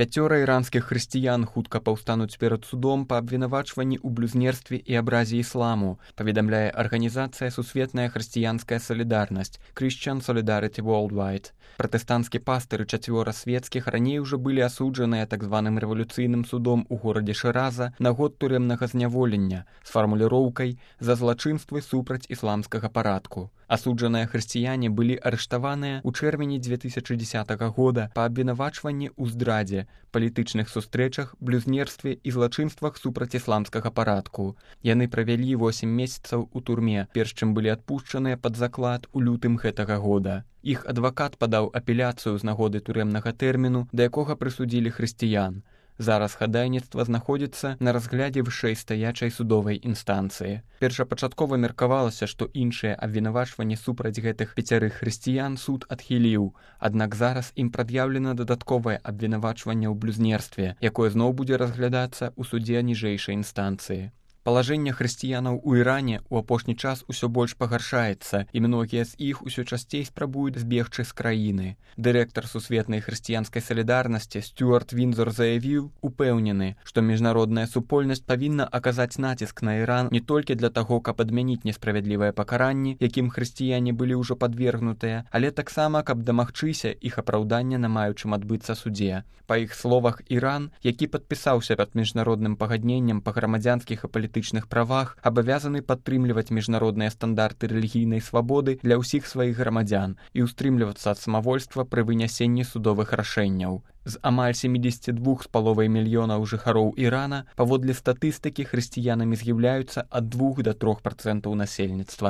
5 іранскіх хрысціян хутка паўстануць перад судом па абвінавачванні ў блюзнерстве і абразе ісламу, паведамляе арганізацыя «Сусветная хрысціянская салідарнасць» Christian Solidarity Worldwide. Пратэстанцкі пастыр і 4 свецкіх раней ужо былі асуджаныя так званым рэвалюцыйным судом у горадзе Шыраза на год турэмнага зняволення з фармуліроўкай «за злачынствы супраць ісламскага парадку». Асуджаныя хрысціяне былі арыштаваныя ў чэрвені 2010 года па абвінавачванні ў здрадзе, палітычных сустрэчах, блюзнерстве і злачынствах супраць ісламскага парадку. Яны правялі 8 месяцаў у турме, перш чым былі адпушчаныя пад заклад у лютым гэтага года. Іх адвакат падаў апеляцыю з нагоды турэмнага тэрміну, да якога прысудзілі хрысціян. Зараз хадайніцтва знаходзіцца на разглядзе вышэйстаячай судовай інстанцыі. Першапачаткова меркавалася, што іншыя абвінавачванні супраць гэтых 5 хрысціян суд адхіліў, аднак зараз ім прад'яўлена дадатковае абвінавачванне ў блюзнерстве, якое зноў будзе разглядацца ў судзе ніжэйшай інстанцыі. Палажэнне хрысціянаў у Іране ў апошні час усё больш пагаршаецца, і многія з іх усё часцей спрабуюць збегчы з краіны. Дырэктар Сусветнай хрысціянскай салідарнасці Стюарт Вінзор заявіў, упэўнены, што міжнародная супольнасць павінна аказаць націск на Іран не толькі для таго, каб адмяніць несправядлівыя пакаранні, якім хрысціяне былі ўжо падвергнутыя, але таксама, каб дамагчыся іх апраўдання на маючым адбыцца судзе. Па іх словах, Іран, які падпісаўся пад міжнародным пагадненнем па грамадзянскіх і палітычных правах, абавязаны падтрымліваць міжнародныя стандарты рэлігійнай свабоды для ўсіх сваіх грамадзян і ўстрымлівацца ад самавольства пры вынясенні судовых рашэнняў. З амаль 72,5 мільёнаў жыхароў Ірана, паводле статыстыкі, хрысціянамі з'яўляюцца ад 2 до 3% насельніцтва.